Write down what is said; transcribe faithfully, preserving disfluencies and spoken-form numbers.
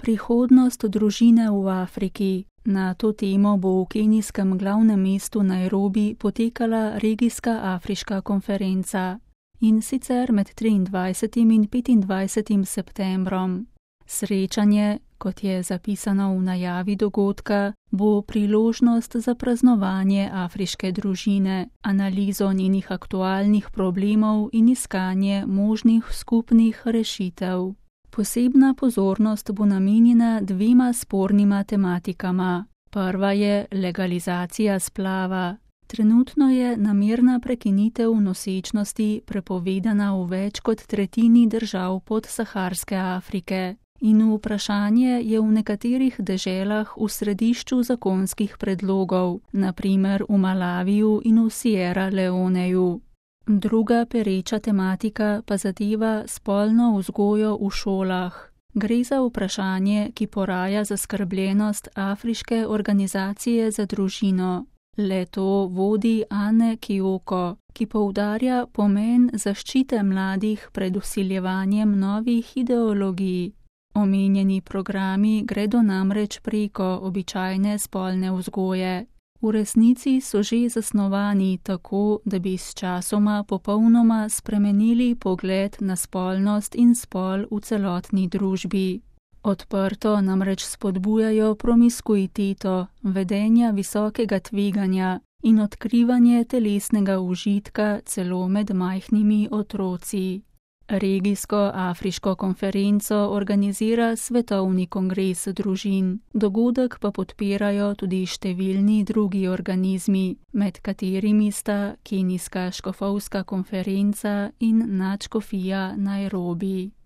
Prihodnost družine v Afriki. Na to temo bo v kenijskem glavnem mestu Nairobi potekala regijska afriška konferenca, in sicer med triindvajsetim in petindvajsetim septembrom. Srečanje, kot je zapisano v najavi dogodka, bo priložnost za praznovanje afriške družine, analizo njenih aktualnih problemov in iskanje možnih skupnih rešitev. Posebna pozornost bo namenjena dvema spornima tematikama. Prva je legalizacija splava. Trenutno je namerna prekinitev nosečnosti prepovedana v več kot tretjini držav podsaharske Afrike in vprašanje je v nekaterih deželah v središču zakonskih predlogov, na primer v Malaviju in v Sierra Leoneju. Druga pereča tematika pa zadeva spolno vzgojo v šolah. Gre za vprašanje, ki poraja zaskrbljenost Afriške organizacije za družino. Le-to vodi Ane Kioko, ki poudarja pomen zaščite mladih pred vsiljevanjem novih ideologij. Omenjeni programi gredo namreč preko običajne spolne vzgoje. V resnici so že zasnovani tako, da bi s časoma popolnoma spremenili pogled na spolnost in spol v celotni družbi. Odprto namreč spodbujajo promiskuiteto, vedenja visokega tveganja in odkrivanje telesnega užitka celo med majhnimi otroci. Regijsko afriško konferenco organizira Svetovni kongres družin, dogodek pa podpirajo tudi številni drugi organizmi, med katerimi sta Kenijska škofovska konferenca in nadškofija Nairobi.